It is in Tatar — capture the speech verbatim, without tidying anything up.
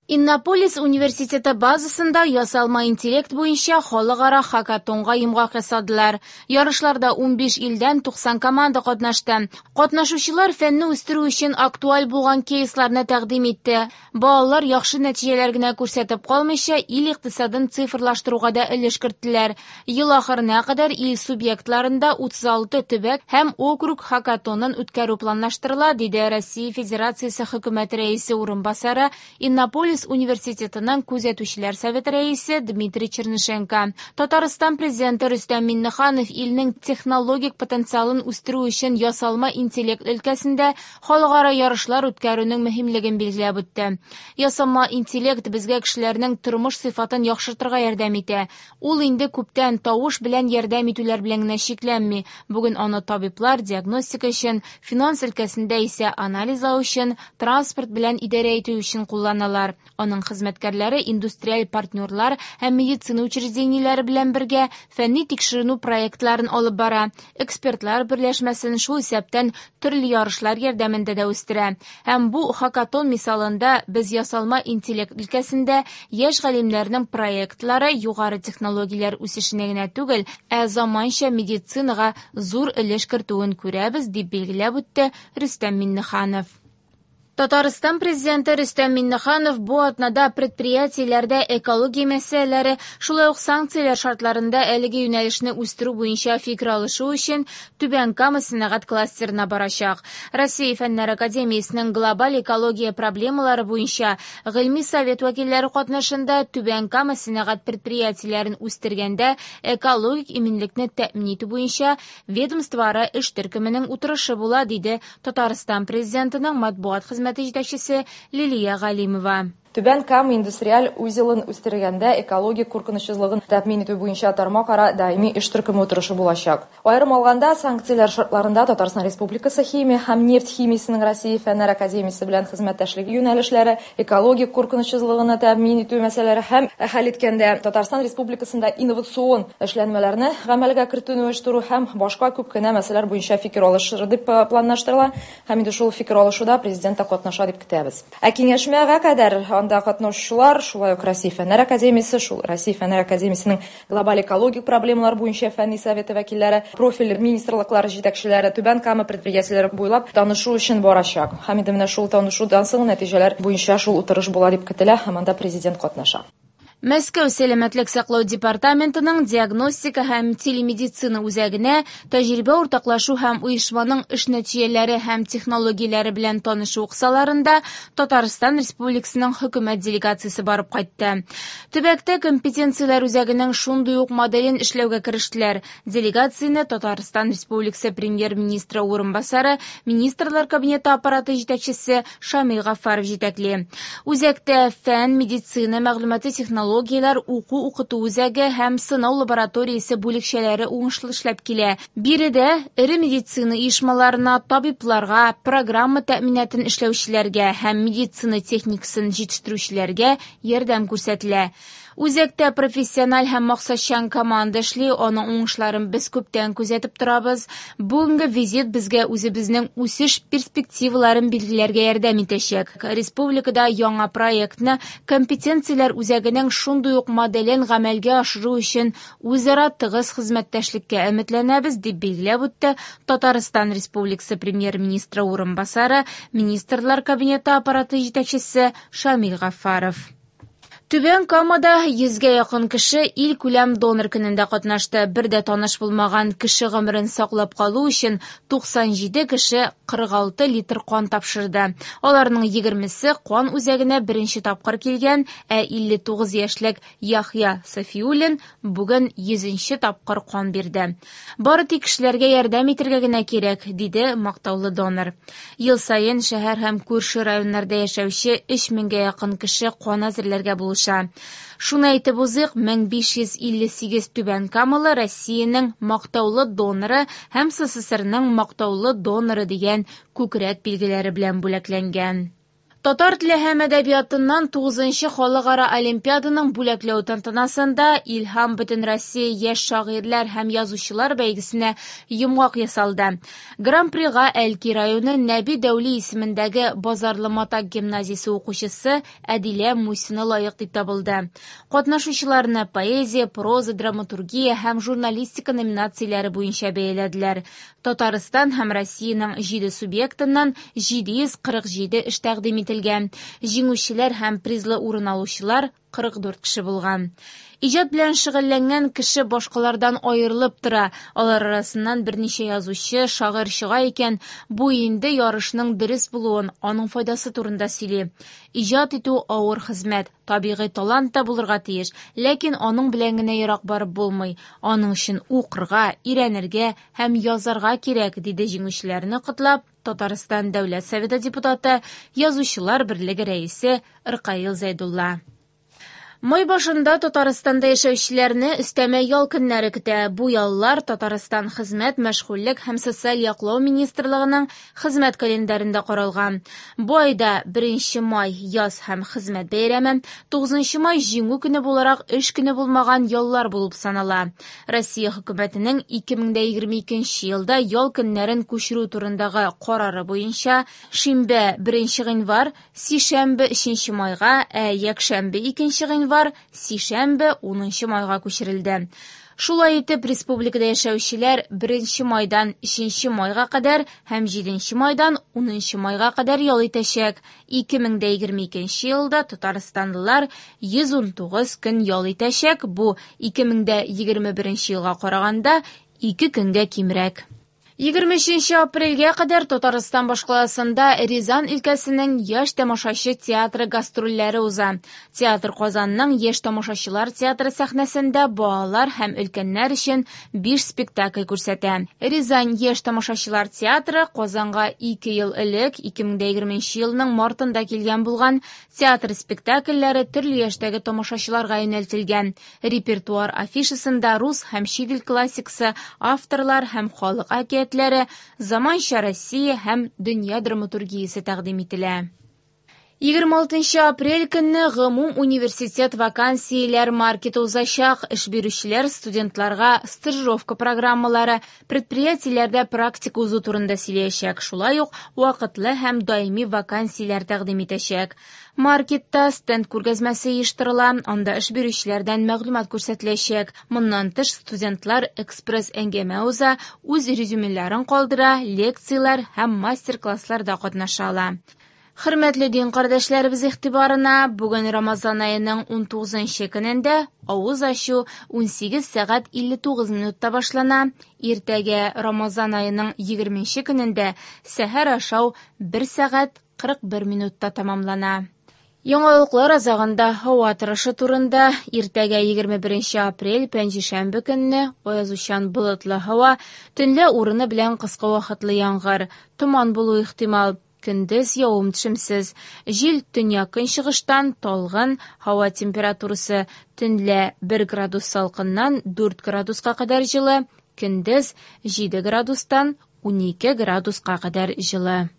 Иннополис университеты базасында ясалма интеллект буенча халыкара хакатонга йомгак ясадылар. Ярышларда унбиш илдән туксан команда катнашты. Катнашучылар фәнне үстерү өчен актуаль булган кейсларны тәкъдим итте. Балалар яхшы нәтиҗәләр генә күрсәтеп калмыйча, ил икътисадын цифрлаштыруга да өлеш керттеләр. Ел ахырына кадәр ил субъектларында утыз алты төбәк һәм округ хакатонын үткәрү планлаштырыла, диде Россия Федерациясе хөкүмәте рәисе урынбасары, Иннополис университетының күзәтүчеләр советы рәисе Дмитрий Чернышенко. Татарстан президенты Рөстәм Миңнеханов илнең технологик потенциалын үстерү өчен ясалма интеллект өлкәсендә халыкара ярышлар үткәрүнең мөһимлеген билгеләп үтте. Ясалма интеллект безгә кешеләрнең тормыш сыйфатын яхшыртырга ярдәм итә. Ул инде күптән тавыш белән ярдәм итүләр белән генә чикләнми. Бүген аны табиблар диагностика өчен, финанс өлкәсендә исә анализлау өчен, транспорт белән идарә итү өчен кулланалар. Аның хезмәткәрләре индустриаль партнерлар һәм медицина учреждениеләре белән бергә фәнни тикшеренү проектларын алып бара. Экспертлар берләшмәсен шул исәптән төрле ярышлар ярдәмендә дә үстерә. Һәм бу хакатон мисалында без ясалма интеллект өлкәсендә яшь галимнәрнең проектлары югары технологияләр үсешенә генә түгел, ә заманча медицинага зур өлеш кертүен күрәбез, дип билгеләп үтте Рөстәм Миңнеханов. Татарстан президенты Рөстәм Миңнеханов бу атнада предприятиеләрдә экология мәсьәләләре, шулай ук санкцияләр шартларында әлеге юнәлешне үстерү буенча фикер алышу өчен Түбән Кама сәнәгать кластерына барачак. Россия Фәннәр академиясенең глобаль экология проблемалары буенча гыйльми совет вәкилләре катнашында Түбән Кама сәнәгать предприятиеләрен үстергәндә экологик иминлекне тәэмин итү буенча ведомствоара эш төркеменең утырышы була, диде Татарстан президентының матбугат хезмәте җитәкчесе Лилия Галимова. Түбән Кама индустриаль узелын үстергәндә экологик куркынычсызлыгын тәэмин итү буенча тармакара даими эш төркеме утырышы булачак. Аерым алганда, санкцияләр шартларында Татарстан Республикасы химия һәм нефть химиясенең Россия Фәннәр академиясе белән хезмәттәшлеге юнәлешләре, экологик куркынычсызлыгын тәэмин итү мәсьәләләре һәм хәл иткәндә Татарстан Республикасында инновацион эшләнмәләрне гамәлгә кертүне оештыру һәм башка күп кенә мәсьәләләр буенча фикер алышыр дип планлаштырыла. Һәм инде шул фикер алышуда президент та катнаша дип көтәбез. Ә киңәшмәгә кадәр анда катнашучылар шулай ук Россия Фәннәр академиясе, шул Россия Фәннәр академиясенең глобаль экологик проблемалар буенча фәнни советы вәкилләре, профиль министрлыклары җитәкчеләре Түбән Кама предприятиеләре буйлап танышу өчен барачак. Һәм инде менә шул танышудан соң нәтиҗәләр буенча шул утырыш була дип көтелә, һәм анда президент катнаша. Мәскәү сәламәтлек саклау департаментының диагностика һәм телемедицина үзәгенә тәҗрибә уртаклашу һәм оешманың эш нәтиҗәләре һәм технологияләре белән танышу кысаларында Татарстан Республикасының хөкүмәт делегациясе барып кайтты. Төбәктә компетенцияләр үзәгенең шундый ук моделен эшләүгә керештеләр. Делегацияне Татарстан Республикасы премьер-министры урынбасары, Министрлар кабинеты аппараты җитәкчесе Шамил Гафаров җитәкли. Үзәктә фән, медицина, мәгълүмати технологияләр, уку укыту үзәге һәм сынау лабораториясе бүлекчәләре уңышлы эшләп килә. Биредә эре медицина оешмаларына, табибларга, программа тәэминатын эшләүчеләргә һәм медицина техникасын җитештерүчеләргә ярдәм күрсәтелә. Үзәктә профессиональ һәм максатчан команда эшли, аның уңышларын без күптән күзәтеп торабыз. Бүгенге визит безгә үзебезнең үсеш перспективаларын билгеләргә ярдәм итәчәк. Республикада яңа проектны компетенцияләр үзәгенең шундый ук моделен гамәлгә ашыру өчен үзара тыгыз хезмәттәшлеккә өметләнәбез, дип билгеләп үтте Татарстан Республикасы премьер-министры урынбасары, Министрлар кабинеты аппараты җитәкчесе Шамил Гафаров. Түбән Камада йөзгә якын кеше ил күләм донор көнендә катнашты. Бер дә таныш булмаган кеше гомерен саклап калу өчен туксан җиде кеше кырык алты литр кан тапшырды. Аларның егермесе кан үзәгенә беренче тапкыр килгән, ә илле тугыз яшьлек Яхья Сафиуллин бүген йөзенче тапкыр кан бирде. Бары тик кешеләргә ярдәм итәргә генә кирәк, диде мактаулы донор. Ел саен шәһәр һәм күрше районнарда яшәүче өч меңгә якын кеше кан әзерләргә булыша. Шуны әйтеп узыйк, мең биш йөз илле сигез Түбән Камалы Россиянең мактаулы доноры һәм СССРның мактаулы доноры дигән күкрәк билгеләре белән бүләкләнгән. Татар теле һәм әдәбиятыннан тугызынчы халыкара олимпиаданың бүләкләү тантанасында Илһам Бөтенроссия яшь шагыйрьләр һәм язучылар бәйгесенә йомгак ясалды. Гран-прига Әлки районы Нәби Дәүли исемендәге Базарлы Матак гимназиясе укучысы Әдилә Мусина лаек дип табылды. Катнашучыларны поэзия, проза, драматургия һәм журналистика номинацияләре буенча бәяләделәр. Татарстан һәм Россиянең җиде субъектыннан җиде йөз кырык җиде эш тәкъдим ителгән. Җиңүчеләр һәм призлы урын алучылар кырык дүрт кеше булган. Иҗат белән шөгыльләнгән кеше башкалардан аерылып тора. Алар арасыннан берничә язучы, шагыйрь чыга икән, бу инде ярышның дөрес булуын, аның файдасы турында сөйли. Иҗат итү авыр хезмәт, табигый талант та булырга тиеш, ләкин аның белән генә ерак барып булмый. Аның өчен укырга, өйрәнергә һәм язарга кирәк, диде җиңүчеләрне котлап Татарстан Дәүләт Советы депутаты, Язучылар берлеге рәисе Ркаил Зәйдулла. Май башында Татарстанда яшәүчеләрне өстәмә ял көннәре көтә. Бу яллар Татарстан Хезмәт, мәшгульлек һәм социаль яклау министрлыгының хезмәт календарендә каралган. Бу айда беренче май яз һәм хезмәт бәйрәме, тугызынчы май җиңү көне буларак эш көне булмаган яллар булып санала. Россия хөкүмәтенең ике мең дә егерме икенче елда ял көннәрен күчерү турындагы карары буенча шимбә беренче гыйнвар, сишәмбе өченче майга, ә якшәмбе икенче гыйнвар, сишәмбе унынчы майга күчерелде. Шулай итеп, республикада яшәүчеләр беренче майдан өченче майга кадәр һәм җиденче майдан унынчы майга кадәр ял итәчәк. ике мең дә егерме икенче елда татарстанлылар йөз ун тугыз көн ял итәчәк. Бу ике мең дә егерме беренче елга караганда ике көнгә кимрәк. Егерме өченче апрельгә кадәр Татарстан башкаласында Рязань өлкәсенең яшь тамашачы театры гастрольләре уза. Театр Казанның яшь тамашачылар театры сәхнәсендә балалар һәм өлкәннәр өчен биш спектакль күрсәтә. Рязань яшь тамашачылар театры Казанга ике ел элек, ике мең дә егерменче елның мартында килгән булган. Театр спектакльләре төрле яшьтәге тамашачыларга юнәлтелгән. Репертуар афишасында рус һәм чит ил классикасы, авторлар һәм халык әкиятләре, заманча Россия һәм дөнья драматургиясе тәкъдим ителә. Егерме алтынчы апрель көнне гомум университет вакансияләр маркеты узачак. Эш бирүчеләр студентларга стажировка программалары, предприятиеләрдә практика узу турында сөйләячәк. Шулай ук вакытлы һәм даими вакансияләр тәкъдим итәчәк. Маркетта стенд күргәзмәсе оештырыла, анда эш бирүчеләрдән мәгълүмат күрсәтеләчәк. Моннан тыш студентлар экспресс әңгәмә уза, үз резюмеләрен калдыра, лекцияләр һәм мастер-классларда катнаша ала. Хөрмәтле дин кардәшләребез игътибарына, бүген Рамазан аеның ун тугызынчы көнендә авыз ачу ун сигез сәгать илле тугыз минутта башлана. Иртәгә Рамазан аеның егерменче көнендә сәхәр ашау бер сәгать кырык бер минутта тәмамлана. Яңалыклар азагында һава торышы турында. Иртәгә егерме беренче апрель пәнҗешәмбе көнне аязучан болытлы һава, төнлә урыны белән кыска вакытлы яңгыр, томан булу ихтимал. Көндез явым төшемсез. Җил төньяк көнчыгыштан талгын, һава температурасы төнлә бер градус салкыннан дүрт градуска кадәр җылы, көндез җиде градустан унике градуска кадәр җылы.